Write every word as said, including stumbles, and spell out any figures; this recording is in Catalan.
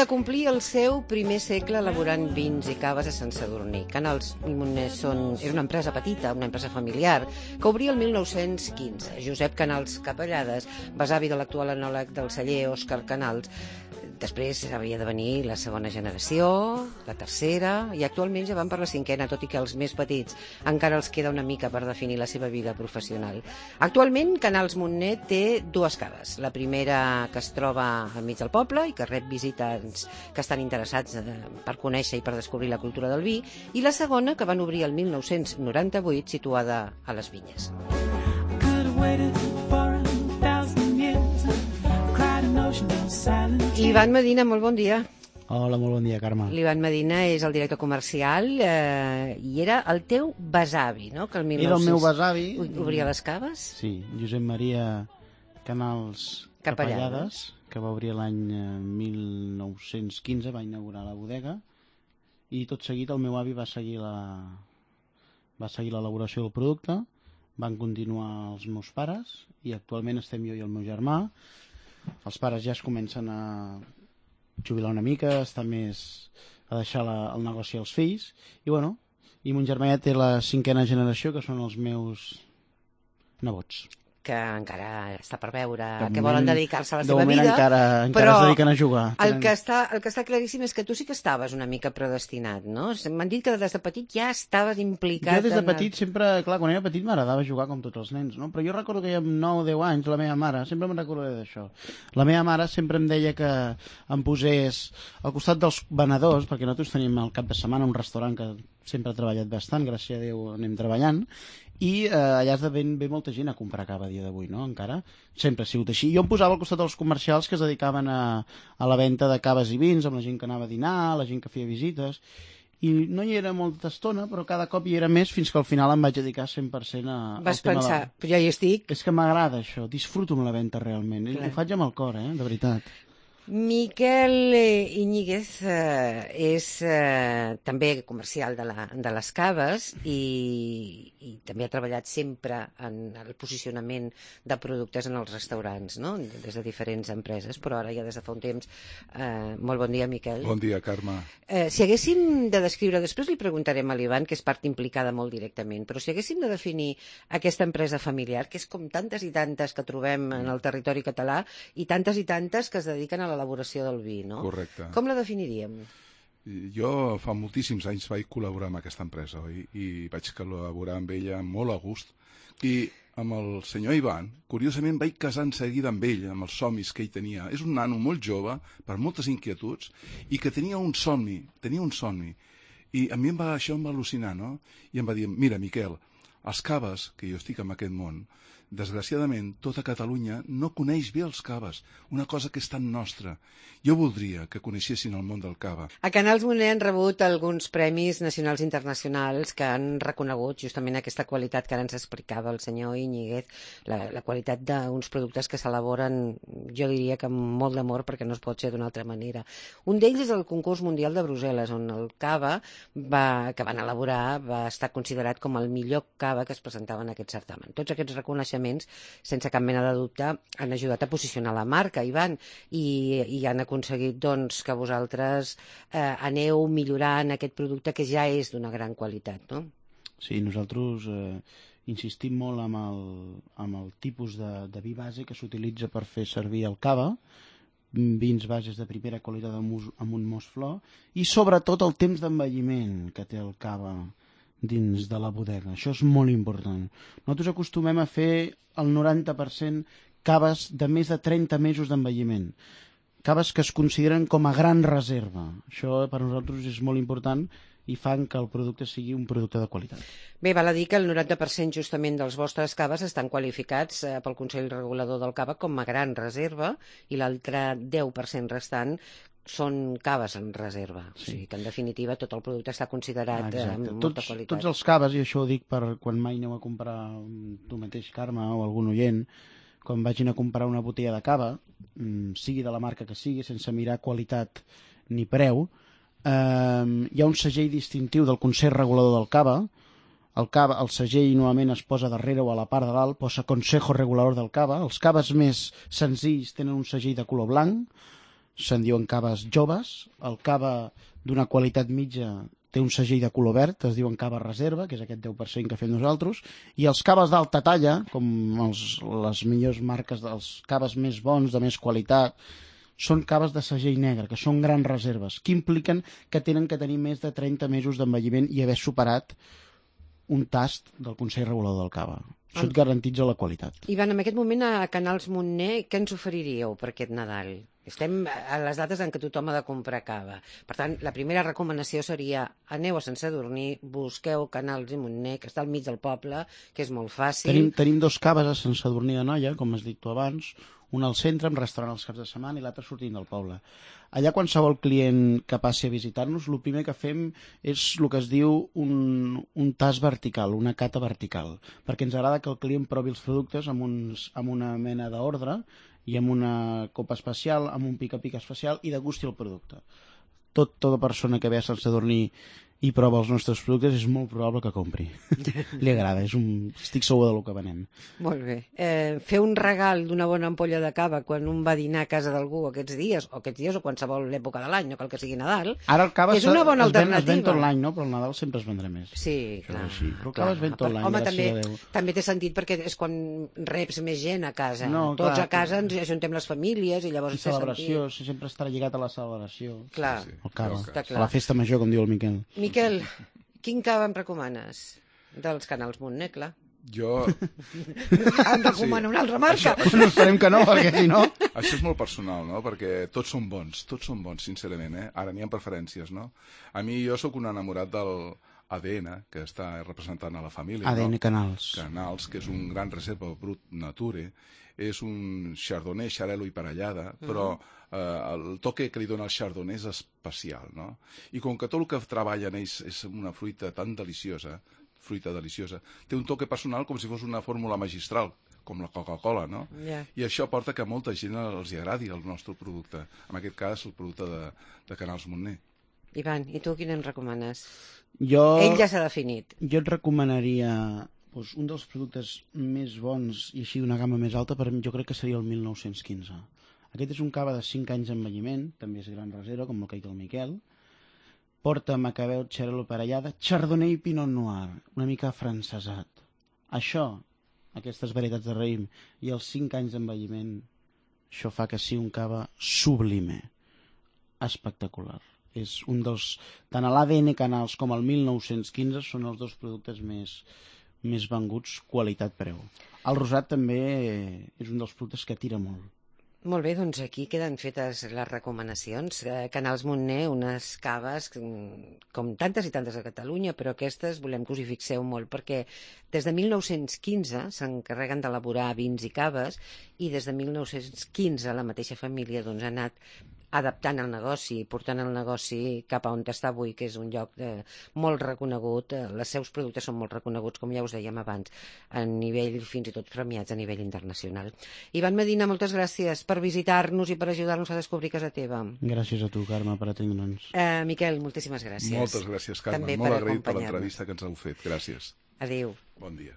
de complir el seu primer segle elaborant vins i caves a Sant Sadurní. Canals i Montner són... és una empresa petita, una empresa familiar, que obria el mil nou-cents quinze. Josep Canals Capellades, besavi de l'actual enòleg del celler Òscar Canals. Després havia de venir la segona generació, la tercera, i actualment ja van per la cinquena, tot i que els més petits encara els queda una mica per definir la seva vida professional. Actualment, Canals Montner té dues caves. La primera, que es troba al mig del poble i que rep visitants que estan interessats per conèixer i per descobrir la cultura del vi, i la segona, que van obrir el mil nou-cents noranta-vuit, situada a les Vinyes. L'Ivan Medina, molt bon dia. Hola, molt bon dia, Carme. L'Ivan Medina és el director comercial eh, i era el teu besavi, no? Que el mil nou-cents... Era el meu besavi. Obria les caves? Sí, Josep Maria Canals Capellades, que va obrir l'any mil nou-cents quinze, va inaugurar la bodega, i tot seguit el meu avi va seguir la va seguir l'elaboració del producte, van continuar els meus pares, i actualment estem jo i el meu germà. Els pares ja es comencen a jubilar una mica, estar més a deixar la, el negoci als fills, i bueno, i mon germà ja té la cinquena generació, que són els meus nebots, que encara està per veure, de que moment, volen dedicar-se a la de seva moment vida, encara, encara però es dediquen a jugar. el que, està, el que està claríssim és que tu sí que estaves una mica predestinat, no? M'han dit que des de petit ja estaves implicat. Jo des de en petit el... sempre, clar, quan era petit m'agradava jugar com tots els nens, no? Però jo recordo que ja amb nou o deu anys la meva mare, sempre me'n recordaré d'això, la meva mare sempre em deia que em posés al costat dels venedors, perquè nosaltres tenim al cap de setmana un restaurant que sempre ha treballat bastant, gràcies a Déu anem treballant, i eh, allà es ve, ve molta gent a comprar cava a dia d'avui, no? Encara sempre ha sigut així. Jo em posava al costat dels comercials que es dedicaven a, a la venda de caves i vins, amb la gent que anava a dinar, la gent que feia visites, i no hi era molta estona, però cada cop hi era més, fins que al final em vaig dedicar cent per cent a, Vas al tema pensar, de... però ja hi estic. És que m'agrada això, disfruto amb la venda realment, Clar. ho faig amb el cor, eh? De veritat. Miquel Iñiguez eh, és eh, també comercial de, la, de les caves i, i també ha treballat sempre en el posicionament de productes en els restaurants, no? Des de diferents empreses, però ara ja des de fa un temps. Eh, molt bon dia, Miquel. Bon dia, Carme. Eh, si haguéssim de descriure, després li preguntarem a l'Ivan, que és part implicada molt directament, però si haguéssim de definir aquesta empresa familiar, que és com tantes i tantes que trobem en el territori català i tantes i tantes que es dediquen a l'elaboració del vi, no? Correcte. Com la definiríem? Jo fa moltíssims anys vaig col·laborar amb aquesta empresa, oi? I vaig col·laborar amb ella molt a gust. I amb el senyor Ivan, curiosament, vaig casar en seguida amb ell, amb els somnis que ell tenia. És un nano molt jove, per moltes inquietuds, i que tenia un somni, tenia un somni. I a mi em va, això em va al·lucinar, no? I em va dir, mira, Miquel, els caves, que jo estic en aquest món, desgraciadament, tota Catalunya no coneix bé els caves, una cosa que és tan nostra. Jo voldria que coneixessin el món del cava. A Canals Montner han rebut alguns premis nacionals i internacionals que han reconegut justament aquesta qualitat que ara ens explicava el senyor Iñiguez, la, la qualitat d'uns productes que s'elaboren, jo diria que amb molt d'amor, perquè no es pot ser d'una altra manera. Un d'ells és el concurs mundial de Brussel·les, on el cava va, que van elaborar va estar considerat com el millor cava que es presentava en aquest certamen. Tots aquests reconeixements, sense cap mena de dubte, han ajudat a posicionar la marca, Ivan, i, i han aconseguit doncs, que vosaltres eh, aneu millorant aquest producte que ja és d'una gran qualitat, no? Sí, nosaltres eh, insistim molt amb el, amb el tipus de, de vi base que s'utilitza per fer servir el cava, vins bases de primera qualitat amb, amb un mos flor, i sobretot el temps d'envelliment que té el cava dins de la bodega. Això és molt important. Nosaltres acostumem a fer el noranta per cent caves de més de trenta mesos d'envelliment. Caves que es consideren com a gran reserva. Això per nosaltres és molt important i fan que el producte sigui un producte de qualitat. Bé, val a dir que el noranta per cent justament dels vostres caves estan qualificats eh, pel Consell Regulador del Cava com a gran reserva i l'altre deu per cent restant són caves en reserva. Sí. O sigui que, en definitiva, tot el producte està considerat eh, amb molta tots, qualitat. Tots els caves, i això ho dic per quan mai aneu a comprar tu mateix, Carme, o algun oient, quan vagin a comprar una botella de cava, sigui de la marca que sigui, sense mirar qualitat ni preu, eh, hi ha un segell distintiu del Consell Regulador del Cava. El, cava, el segell normalment es posa darrere o a la part de dalt, posa Consejo Regulador del Cava. Els caves més senzills tenen un segell de color blanc, se'n diuen caves joves. El cava d'una qualitat mitja té un segell de color verd, es diuen cava reserva, que és aquest deu per cent que fem nosaltres, i els caves d'alta talla, com els, les millors marques dels caves més bons, de més qualitat, són caves de segell negre, que són grans reserves, que impliquen que tenen que tenir més de trenta mesos d'envelliment i haver superat un tast del Consell Regulador del Cava. Això et garantitza la qualitat. Ivan, en aquest moment a Canals Montner, què ens oferiríeu per aquest Nadal? Estem a les dates en què tothom ha de comprar cava. Per tant, la primera recomanació seria aneu a Sant Sadurní, busqueu Canals i Montner, que està al mig del poble, que és molt fàcil. Tenim, tenim dos caves a Sant Sadurní d'Anoia, com has dit tu abans, un al centre, amb restaurant als caps de setmana, i l'altre sortint del poble. Allà qualsevol client que passi a visitar-nos, el primer que fem és el que es diu un, un tast vertical, una cata vertical, perquè ens agrada que el client provi els productes amb, uns, amb una mena d'ordre i amb una copa especial, amb un pica-pica especial, i degusti el producte. Tot, tota persona que ve a Sant Sadurní i prova els nostres productes és molt probable que compri. Li agrada, és un... estic segur del que venem. Molt bé. Eh, fer un regal d'una bona ampolla de cava quan un va a dinar a casa d'algú aquests dies, o aquests dies o qualsevol època de l'any, no cal que sigui Nadal, ara el cava és una bona es ven, alternativa. Es ven tot l'any, no? Però el Nadal sempre es vendrà més. Sí, Això clar. és així. Però el clar. cava es ven tot l'any, Home, gràcies també, a Déu. també té sentit perquè és quan reps més gent a casa. No, Tots clar, a casa ens ajuntem les famílies i llavors I té celebració, sentit. si sempre estarà lligat a la celebració. Clar. Sí, sí. El cava. Està clar. A la festa major, com diu el Miquel. Miquel, quin cava em recomanes? Dels Canals Montner, clar. Jo... Em recomano una altra marca. No esperem que no, perquè si no... Això és molt personal, no? Perquè tots són bons, tots són bons, sincerament, eh? Ara n'hi ha preferències, no? A mi, jo sóc un enamorat del A D N, que està representant a la família. A D N no? Canals. Canals, que és un gran reserva brut nature, és un chardonnay, xarel·lo i parellada, però eh, el toque que li dona el chardonnay és especial, no? I com que tot el que treballen ells és una fruita tan deliciosa, fruita deliciosa, té un toque personal com si fos una fórmula magistral, com la Coca-Cola, no? Yeah. I això porta que a molta gent els hi agradi el nostre producte. En aquest cas, el producte de, de Canals Montner. Ivan, i tu quin em recomanes? Jo... Ell ja s'ha definit. Jo et recomanaria doncs, un dels productes més bons i així d'una gamma més alta, per mi jo crec que seria el mil nou-cents quinze. Aquest és un cava de cinc anys d'envelliment, també és gran reserva, com el que ha dit el Miquel. Porta macabeu, xarel·lo parellada, chardonnay i pinot noir, una mica afrancesat. Això, aquestes varietats de raïm i els cinc anys d'envelliment, això fa que sigui un cava sublime, espectacular. És un dels... Tant a l'A D N Canals com al mil nou-cents quinze són els dos productes més, més venguts qualitat-preu. El rosat també és un dels productes que tira molt. Molt bé, doncs aquí queden fetes les recomanacions. Eh, Canals Montner, unes caves com tantes i tantes a Catalunya, però aquestes volem que us hi fixeu molt, perquè des de mil nou-cents quinze s'encarreguen d'elaborar vins i caves, i des de mil nou-cents quinze la mateixa família doncs, ha anat adaptant el negoci, portant el negoci cap a on està avui, que és un lloc de, molt reconegut. Els seus productes són molt reconeguts, com ja us dèiem abans, a nivell, fins i tot premiats a nivell internacional. Ivan Medina, moltes gràcies per visitar-nos i per ajudar-nos a descobrir casa teva. Gràcies a tu, Carme, per atendre'ns. Eh, Miquel, moltíssimes gràcies. Moltes gràcies, Carme. També Molt per agraït per acompanyar-nos. l'entrevista que ens heu fet. Gràcies. Adéu. Bon dia.